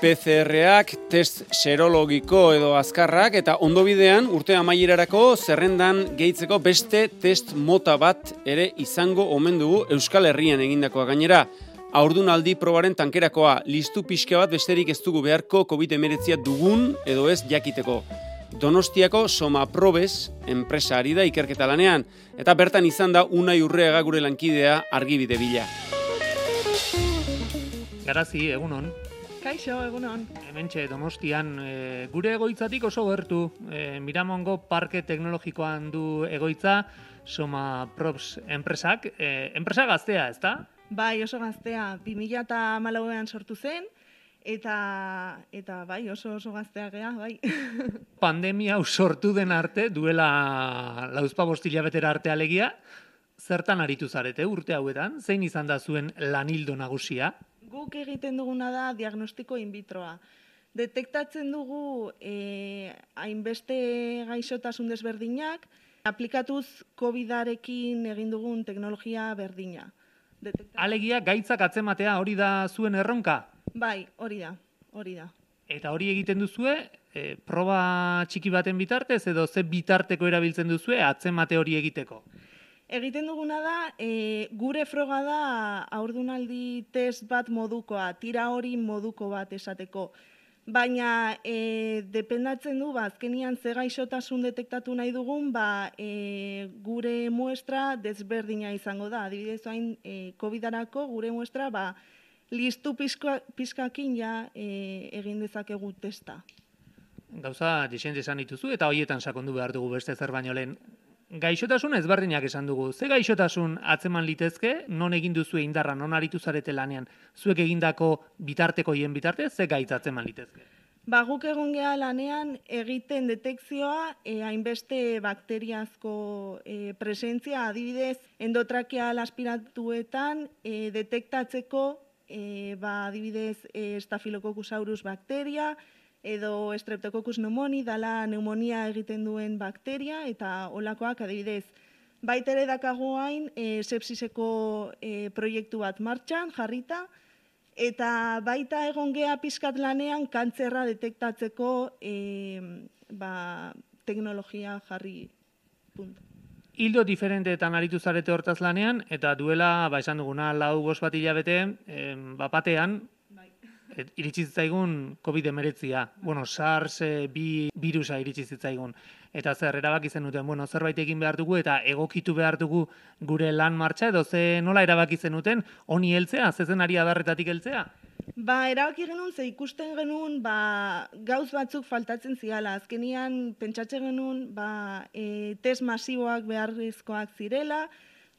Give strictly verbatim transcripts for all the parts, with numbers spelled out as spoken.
P C R-ak, test serologiko edo azkarrak, eta ondobidean urte amaierarako zerrendan gehitzeko beste test mota bat ere izango omen dugu Euskal Herrian egindakoa gainera. Haurdunaldi probaren tankerakoa, listu pixka bat besterik ez dugu beharko covid hemeretzi dugun edo ez jakiteko. Donostiako Somaprobes enpresa ari da ikerketa lanean, eta bertan izan da Unai Urreaga gure lankidea argibide bila. Garazi, egunon. Kaixo, egunon. Hementxe Donostian e, gure egoitzatik oso gertu. E, Miramongo Parke Teknologikoan du egoitza Somaprobes enpresak. E, enpresa gaztea, ezta? Bai, oso gaztea. bi mila hamalauean sortu zen, eta eta bai, oso oso gaztea gea, bai. Pandemia hau sortu den arte, duela lauzpabost hilabetera arte alegia, zertan aritu zarete urte hauetan? Zein izan da zuen lanildo nagusia? Guk egiten duguna da diagnostiko in vitroa. Detektatzen dugu eh, hainbeste gaixotasun desberdinak, aplikatuz covidarekin egin dugun teknologia berdina. Detektatzen... Alegia gaitzak atzematea hori da zuen erronka? Bai, hori da, hori da. Eta hori egiten duzue, e, proba txiki baten bitartez edo ze bitarteko erabiltzen duzue atzemate hori egiteko? Egiten duguna da, e, gure froga da haurdunaldi test bat modukoa, tira hori moduko bat esateko. Baina e, dependatzen du, ba, azkenian ze gaixotasun detektatu nahi dugun, ba, e, gure muestra desberdina izango da. Adibidez, hain e, covidarako gure muestra, ba, listu pizka, pizkakin ja e, egin dezakegu testa. Gauza dixente esan dituzu eta horietan sakondu behar dugu beste zer baino lehen. Gaixotasun ezberdinak esan dugu. Ze gaixotasun atzeman litezke, non egin duzue indarra, non aritu zarete lanean, zuek egindako bitarteko hien bitartez, ze gaitz atzeman litezke? Ba, guk egon geha lanean egiten detekzioa e, hainbeste bakteriazko e, presentzia, adibidez, endotrakeal aspiratuetan e, detektatzeko e, ba, adibidez e, Staphylococcus bakteria, edo Streptococcus pneumoniae, dala pneumonia egiten duen bakteria, eta olakoak adibidez. Baita ere dakago hain e, sepsiseko e, proiektu bat martxan, jarrita, eta baita egon gea pizkat lanean kantzerra detektatzeko e, ba, teknologia jarri puntu. Hildo diferenteetan aritu zarete hortaz lanean, eta duela, ba, esan duguna, lau bost bat hilabete, eh, bapatean, Et, iritsi zitzaigun covid hemeretzia, bueno, SARS bi virusa iritsi zitzaigun. Eta zer, erabaki zenuten, bueno, zerbait egin behar dugu eta egokitu behar dugu gure lan martxa, edo ze nola erabaki zenuten, honi heltzea, zezenari adarretatik heltzea? Ba, erabaki genuen, ze ikusten genuen, ba, gauz batzuk faltatzen ziala. Azkenian, pentsatzen genuen, ba, e, test masiboak beharrezkoak zirela,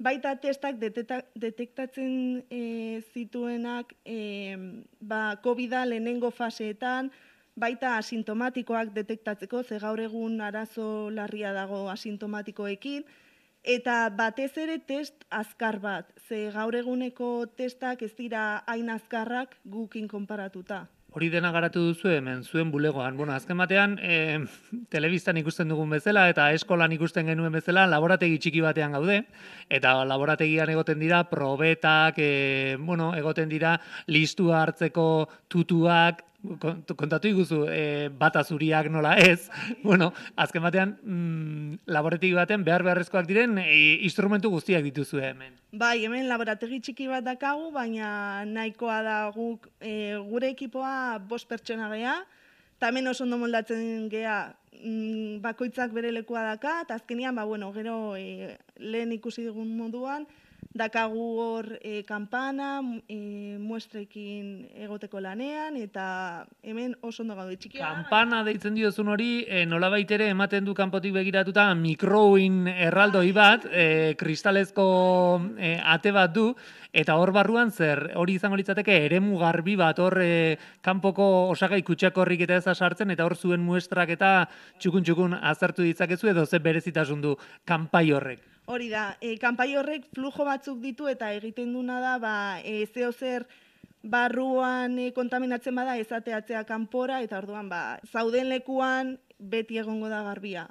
baita testak detektatzen e, zituenak e, ba, covida lehenengo faseetan, baita asintomatikoak detektatzeko, ze gaur egun arazo larria dago asintomatikoekin, eta batez ere test azkar bat, ze gaur eguneko testak ez dira hain azkarrak gukin konparatuta. Hori dena garatu duzu hemen, zuen bulegoan. Bueno, azken batean, e, telebistan ikusten dugun bezala eta eskolan ikusten genuen bezala, laborategi txiki batean gaude, eta laborategian egoten dira probetak, e, bueno, egoten dira listua hartzeko tutuak, kontatu iguzu, e, bata zuriak nola ez, bueno, azken batean, mm, laborategi baten behar beharrezkoak diren e, instrumentu guztiak dituzue hemen. Bai, hemen laborategi txiki bat dakagu, baina nahikoa da guk, e, gure ekipoa bost pertsona gea, eta hemen oso ondo moldatzen gea mm, bakoitzak bere lekua daka, eta azkenian, ba, bueno, gero e, lehen ikusi dugun moduan, dakagu hor e, kanpana, e, muestrekin egoteko lanean, eta hemen oso ondo gaude txikia. Kanpana deitzen diozun hori, e, nolabait ere ematen du kanpotik begiratuta mikroin erraldoi bat, e, kristalezko e, ate bat du, eta hor barruan zer, hori izango litzateke eremu garbi bat, hor e, kanpoko osagai kutsakorrik eta eza sartzen, eta hor zuen muestrak eta txukun-txukun azertu ditzakezu, edo ze berezitasun du kanpai horrek. Hori da, e, kanpai horrek flujo batzuk ditu eta egiten duna da, ba, e, zeo zer barruan e, kontaminatzen bada ezateatzea kanpora, eta orduan, ba, zauden lekuan beti egongo da garbia.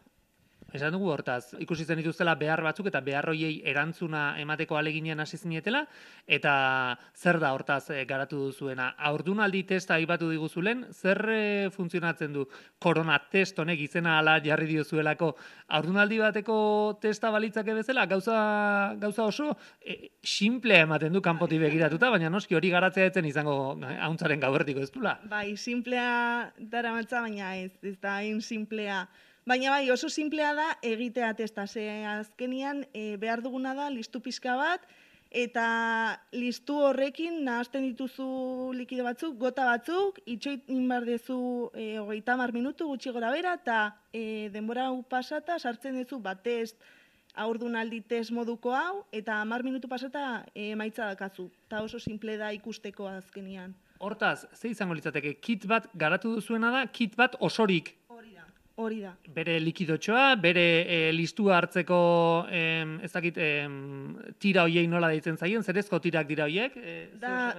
Esan dugu hortaz, ikusi zen dituztela behar batzuk eta behar hoiei erantzuna emateko aleginean hasi zinetela, eta zer da hortaz e, garatu duzuena? Haurdunaldi testa aipatu diguzulen, zer e, funtzionatzen du korona test honek izena ala jarri diozuelako haurdunaldi bateko testa balitzake bezala, gauza, gauza oso e, simplea ematen du kanpotik begiratuta, baina noski hori garatzea etzen izango hauntzaren gauertiko ez dula. Bai, simplea daramatza, baina ez, ez da hain simplea. Baina bai, oso simplea da egitea testa, ze azkenian e, behar duguna da listu pixka bat, eta listu horrekin nahazten dituzu likido batzuk, gota batzuk, itxoitin behar dezu e, hogeita hamar minutu gutxi gora bera, eta e, denbora hau pasata sartzen duzu bat test, haurdunaldi test moduko hau, eta hamar minutu pasata e, emaitza dakazu. Eta oso simple da ikusteko azkenian. Hortaz, ze izango litzateke, kit bat garatu duzuena da, kit bat osorik. Hori da. Hori da. Bere likidotxoa, bere e, listua hartzeko em, ez dakit em, tira hoiei nola deitzen zaien, zerezko tirak dira hoiek? E, Da,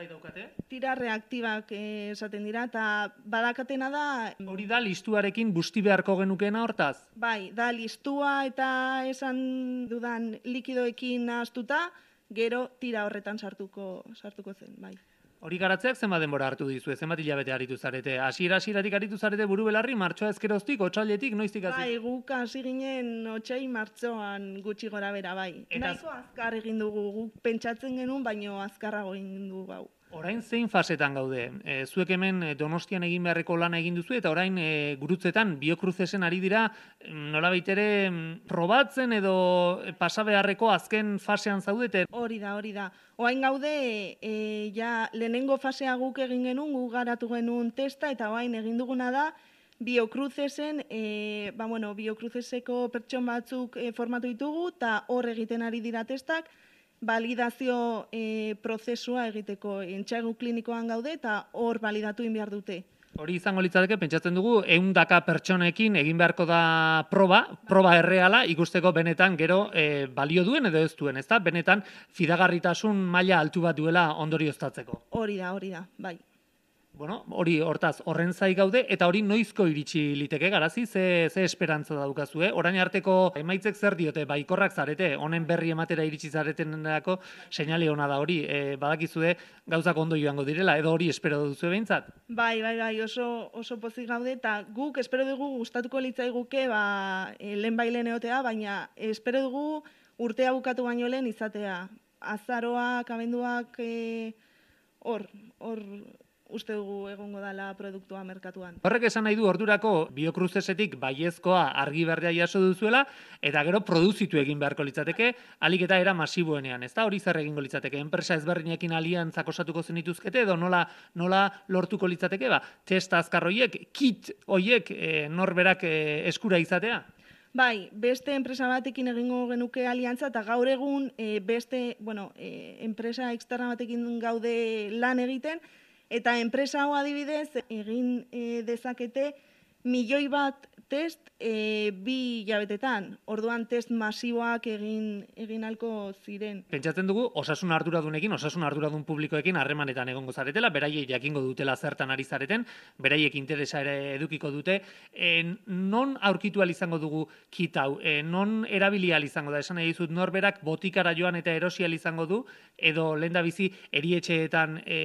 tira reaktibak eh, esaten dira, eta badakatena da... Hori da listuarekin busti beharko genukeena hortaz? Bai, da listua eta esan dudan likidoekin nahaztuta, gero tira horretan sartuko, sartuko zen, bai. Hori garatzeak zenbat denbora hartu dizue, zenbat hilabete aritu zarete? Hasiera hasieratik aritu zarete buru belarri, martxoa ezkeroztik, otsailetik, noiztik hasi? Bai, guk hasi ginen otsai martxoan gutxi gora bera, bai. Eta... Nahiko azkar egin dugu, guk pentsatzen genuen, baino azkarrago egin dugu gau. Orain zein fasetan gaude? E, zuek hemen Donostian egin beharreko lana egin duzu eta orain e, gurutzetan Biocrucesen ari dira nolabait ere probatzen edo pasa beharreko azken fasean zaudete? Hori da, hori da. Orain gaude e, ja lehenengo fasea guk egin genuen, guk garatu genuen testa eta orain egin duguna da Biocrucesen, e, ba bueno, Biocruceseko pertson batzuk e, formatu ditugu eta hor egiten ari dira testak, validazio e, prozesua egiteko entxaigu klinikoan gaude eta hor validatu egin behar dute. Hori izango litzateke, pentsatzen dugu, ehundaka pertsonekin egin beharko da proba, proba erreala, ikusteko benetan gero e, balio duen edo ez duen, ezta? Benetan fidagarritasun maila altu bat duela ondorioztatzeko. Hori da, hori da, bai. Bueno, hori hortaz horren zai gaude eta hori noizko iritsi liteke garazi, ze, ze esperantza daukazue? Orain arteko emaitzek zer diote, baikorrak zarete, honen berri ematera iritsi zaretenerako seinale ona da hori, e, badakizue gauzak ondo joango direla, edo hori espero duzu behintzat? Bai, bai, bai, oso, oso pozik gaude eta guk espero dugu gustatuko litzaiguke ba, e, lehen bailen egotea, baina espero dugu urtea bukatu baino lehen izatea. Azaroak, abenduak, e, hor, hor, uste dugu egongo dela produktua merkatuan. Horrek esan nahi du ordurako Biocrucesetik baiezkoa argi berdea jaso duzuela, eta gero produzitu egin beharko litzateke, alik eta era masiboenean, ez da? Hori zer egingo litzateke? Enpresa ezberdinekin aliantzak osatuko zenituzkete, edo nola, nola lortuko litzateke? Ba, testa azkar hoiek, kit hoiek e, norberak e, eskura izatea? Bai, beste enpresa batekin egingo genuke aliantza, eta gaur egun e, beste, bueno, e, enpresa externa batekin gaude lan egiten, eta enpresa hau adibidez egin e, dezakete milioi bat test e, bi hilabetetan. Orduan test masiboak egin egin halko ziren. Pentsatzen dugu osasun arduradunekin, osasun arduradun publikoekin harremanetan egongo zaretela, beraiek jakingo dutela zertan ari zareten, beraiek interesa ere edukiko dute. E, non aurkitu ahal izango dugu kit hau? E, non erabili ahal izango da? Esan nahi dizut norberak botikara joan eta erosi ahal izango du, edo lehendabizi erietxeetan e,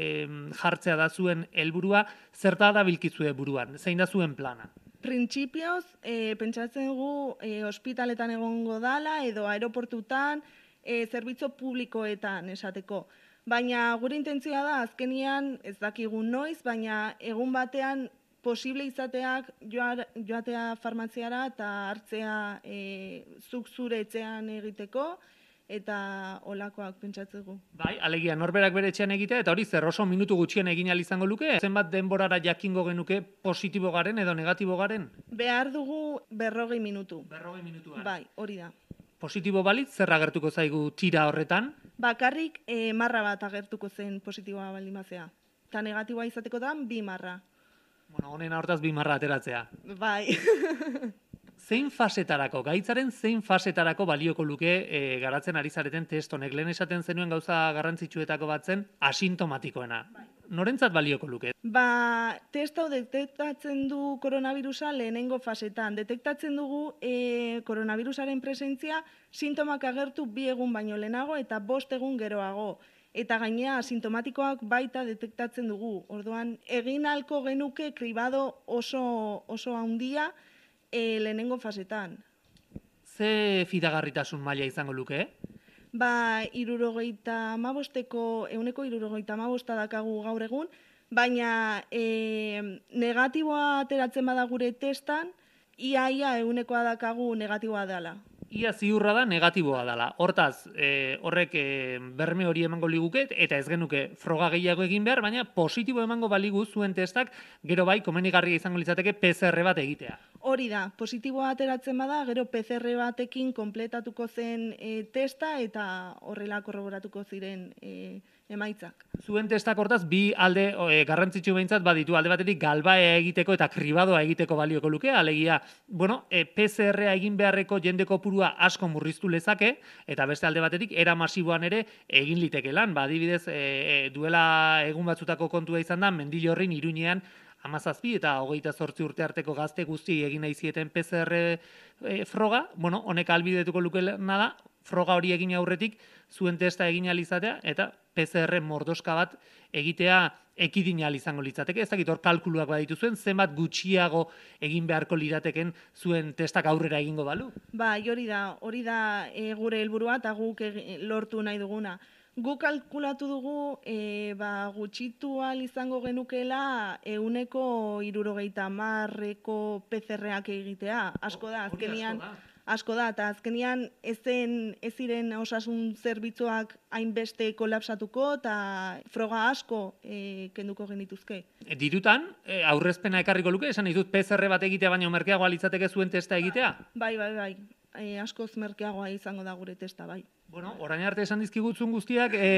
jartzea da zuen helburua, zerta da bilkizue buruan? Zein da zuen plana? Printzipioz, e, pentsatzen dugu e, ospitaletan egongo dala edo aeroportutan, e, zerbitzu publikoetan esateko. Baina gure intentzioa da, azkenian ez dakigu noiz, baina egun batean posible izateak joa, joatea farmaziara eta hartzea e, zuk zure etxean egiteko, eta olakoak pentsatzeko. Bai, alegia norberak bere etxean egitea, eta hori zer oso minutu gutxien egin ahal izango luke? Zenbat denborara jakingo genuke positibo garen edo negatibo garen? Behar dugu berrogei minutu. Berrogei minutuan. Bai, hori da. Positibo balitz, zer agertuko zaigu tira horretan? Bakarrik e, marra bat agertuko zen positiboa baldin bazea. Eta negatiboa izatekotan bi marra. Bueno, honen hortaz bi marra ateratzea. Bai. Zein fasetarako, gaitzaren zein fasetarako balioko luke e, garatzen ari zareten test honek? Lehen esaten zenuen gauza garrantzitsuetako bat zen asintomatikoena. Bai. norentzat balioko luke? Ba, test hau detektatzen du koronavirusa lehenengo fasetan. Detektatzen dugu e, koronavirusaren presentzia sintomak agertu bi egun baino lehenago eta bost egun geroago. Eta gainea sintomatikoak baita detektatzen dugu. Orduan, egin halko genuke kribado oso, oso handia e, lehenengo fasetan. Ze fidagarritasun maila izango luke? Ba, irurogeita amabosteko, euneko irurogeita amabosta dakagu gaur egun, baina e, negatiboa ateratzen bada gure testan, ia-ia eunekoa dakagu negatiboa dela. Ia ziurra da negatiboa dela. Hortaz, e, horrek e, berme hori emango liguket, eta ez genuke froga gehiago egin behar, baina positibo emango baligu zuen testak, gero bai, komenigarria izango litzateke P C R bat egitea. Hori da, positiboa ateratzen bada, gero P C R batekin kompletatuko zen e, testa eta horrela korroboratuko ziren e, emaitzak. Zuen testak hortaz, bi alde e, garrantzitsu behintzat baditu, alde batetik galbaea egiteko eta kribadoa egiteko balioko luke, alegia, bueno, e, P C R-a egin beharreko jende kopurua asko murriztu lezake, eta beste alde batetik, era masiboan ere egin liteke lan, ba, adibidez, e, e, duela egun batzutako kontua izan da, Mendillorrin Iruñean hamazazpi eta hogeita zortzi urte arteko gazte guzti egin nahi zieten P C R e, froga, bueno, honek albidetuko lukeena da, froga hori egin aurretik, zuen testa egin alizatea, eta P C R mordoska bat egitea ekidin izango litzateke. Ez dakit hor kalkuluak baditu zuen, zenbat gutxiago egin beharko lirateken zuen testak aurrera egingo balu? Ba, hori da, hori da e, gure helburua eta guk e, lortu nahi duguna. Guk kalkulatu dugu e, ba, gutxitu ahal izango genukela euneko irurogeita hamarreko P C R-ak egitea. Asko da, azkenian, asko da, eta azkenian ezen ez ziren osasun zerbitzuak hainbeste kolapsatuko eta froga asko e, kenduko genituzke. Dirutan, e, aurrezpena ekarriko luke, esan ditut P C R bat egitea baino merkeagoa litzateke zuen testa egitea? Bai, bai, bai, e, askoz merkeagoa izango da gure testa, bai. Bueno, orain arte esan dizkigutzun guztiak e,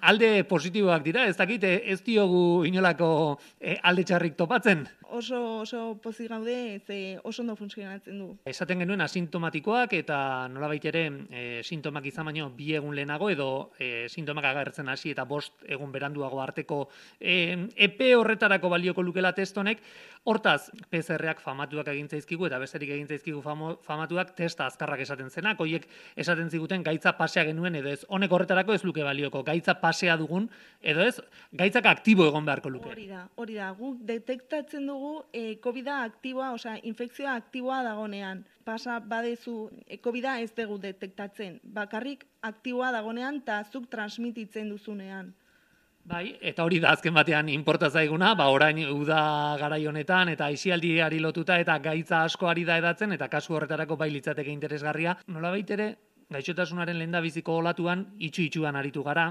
alde positiboak dira, ez dakit ez diogu inolako e, alde txarrik topatzen. Oso, oso pozik gaude, ze oso ondo funtzionatzen du. Esaten genuen asintomatikoak eta nolabait ere e, sintomak izan baino bi egun lehenago edo e, sintomak agertzen hasi eta bost egun beranduago arteko e, epe horretarako balioko lukela test honek. Hortaz, P C R-ak famatuak egin zaizkigu eta besterik egin zaizkigu famo, famatuak testa azkarrak esaten zenak, hoiek esaten ziguten gaitza pasea genuen edo ez, honek horretarako ez luke balioko, gaitza pasea dugun edo ez, gaitzak aktibo egon beharko luke. Hori da, hori da, guk detektatzen dugu e, COVID-a aktiboa, osea, infekzioa aktiboa dagonean. Pasa badezu, e, COVID-a ez dugu detektatzen, bakarrik aktiboa dagonean eta zuk transmititzen duzunean. Bai, eta hori da azken batean inporta zaiguna, ba orain uda garai honetan eta aisialdiari lotuta eta gaitza asko ari da edatzen eta kasu horretarako bai litzateke interesgarria. Nolabait ere, gaixotasunaren lehendabiziko olatuan itxu-itxuan aritu gara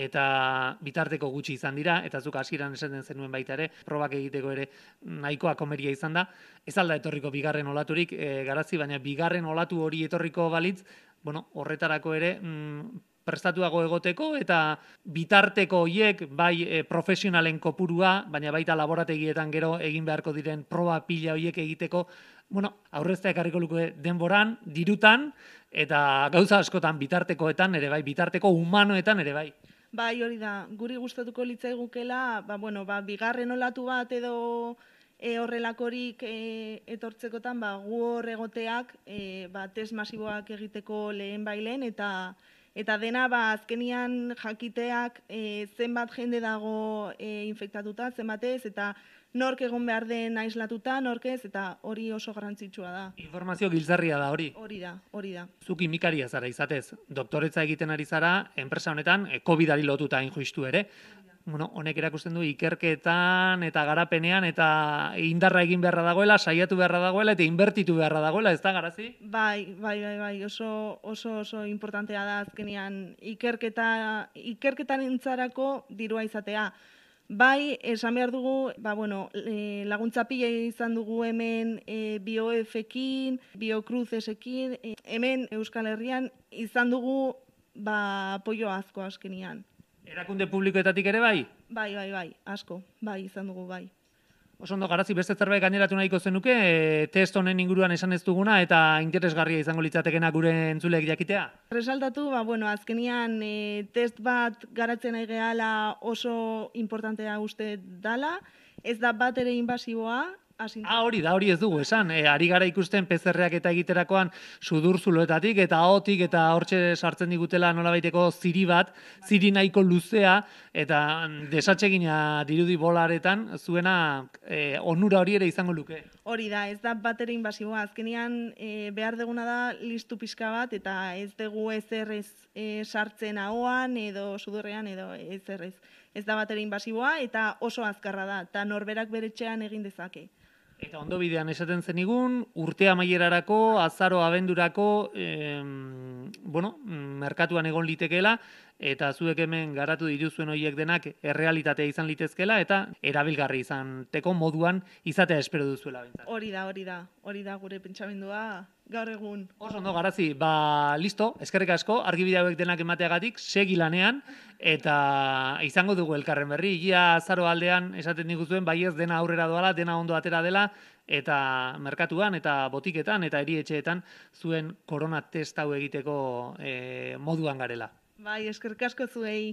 eta bitarteko gutxi izan dira, eta zuk hasieran esaten zenuen baita ere, probak egiteko ere nahikoa komeria izan da. Ez alda etorriko bigarren olaturik e, garazi, baina bigarren olatu hori etorriko balitz, bueno, horretarako ere mm, prestatuago egoteko eta bitarteko hiek bai e, profesionalen kopurua, baina baita laborategietan gero egin beharko diren proba pila horiek egiteko, bueno, aurreztea ekarriko luke denboran, dirutan, eta gauza askotan bitartekoetan ere bai, bitarteko humanoetan ere bai. Bai, hori da, guri gustatuko litzaigukela, ba, bueno, ba, bigarren olatu bat edo e, horrelakorik e, etortzekotan, ba, gu hor egoteak, e, ba, test masiboak egiteko lehen bailen, eta Eta dena, ba, azkenian jakiteak e, zenbat jende dago e, infektatuta, zenbat ez, eta nork egon behar den aislatuta, nork ez, eta hori oso garrantzitsua da. Informazio giltzarria da hori. Hori da, hori da. Zuk kimikaria zara izatez, doktoretza egiten ari zara, enpresa honetan, e, COVID-ari lotuta injustu ere. Bueno, honek erakusten du ikerketan eta garapenean eta indarra egin beharra dagoela, saiatu beharra dagoela eta inbertitu beharra dagoela, ez da, Garazi? Bai, bai, bai, bai, oso, oso, oso importantea da azkenean ikerketa, ikerketarentzarako dirua izatea. Bai, esan behar dugu, ba, bueno, e, laguntza pila izan dugu hemen e, BioF-ekin, BioCrucesekin, e, hemen Euskal Herrian izan dugu ba, apoio asko azkenean. Erakunde publikoetatik ere bai? Bai, bai, bai, asko, bai, izan dugu, bai. Oso ondo, Garazi, beste zerbait gaineratu nahiko zenuke, e, test honen inguruan esan ez duguna eta interesgarria izango litzatekena gure entzuleek jakitea? Resaltatu, ba, bueno, azkenian e, test bat garatzen nahi gehala oso importantea uste dala, ez da bat ere invasiboa. Ah, hori da, hori ez dugu esan. E, ari gara ikusten P C R-ak eta egiterakoan sudurzuloetatik eta ahotik eta hortxe sartzen digutela nolabaiteko ziri bat, ziri nahiko luzea eta desatsegina dirudi bolaretan zuena e, onura hori ere izango luke. Hori da, ez da bat ere invasiboa. Azkenean e, behar deguna da listu pixka bat eta ez dugu ezer ez e, sartzen ahoan edo sudurrean edo ezer ez. Ez da bat ere invasiboa eta oso azkarra da, eta norberak bere etxean egin dezake. Eta ondo bidean esaten zenigun, urte amaierarako, azaro abendurako, em, bueno, merkatuan egon litekeela, eta zuek hemen garatu dituzuen horiek denak errealitatea izan litezkela, eta erabilgarri izateko moduan izatea espero duzuela bintzat. Hori da, hori da, hori da gure pentsamendua gaur egun. Oso ondo, Garazi, ba, listo, eskerrik asko, argibide hauek denak emateagatik, segi lanean, eta izango dugu elkarren berri, ia azaro aldean esaten diguzuen, bai ez dena aurrera doala, dena ondo atera dela, eta merkatuan, eta botiketan, eta erietxeetan zuen korona test hau egiteko e, moduan garela. Bai, eskerrik asko zuei.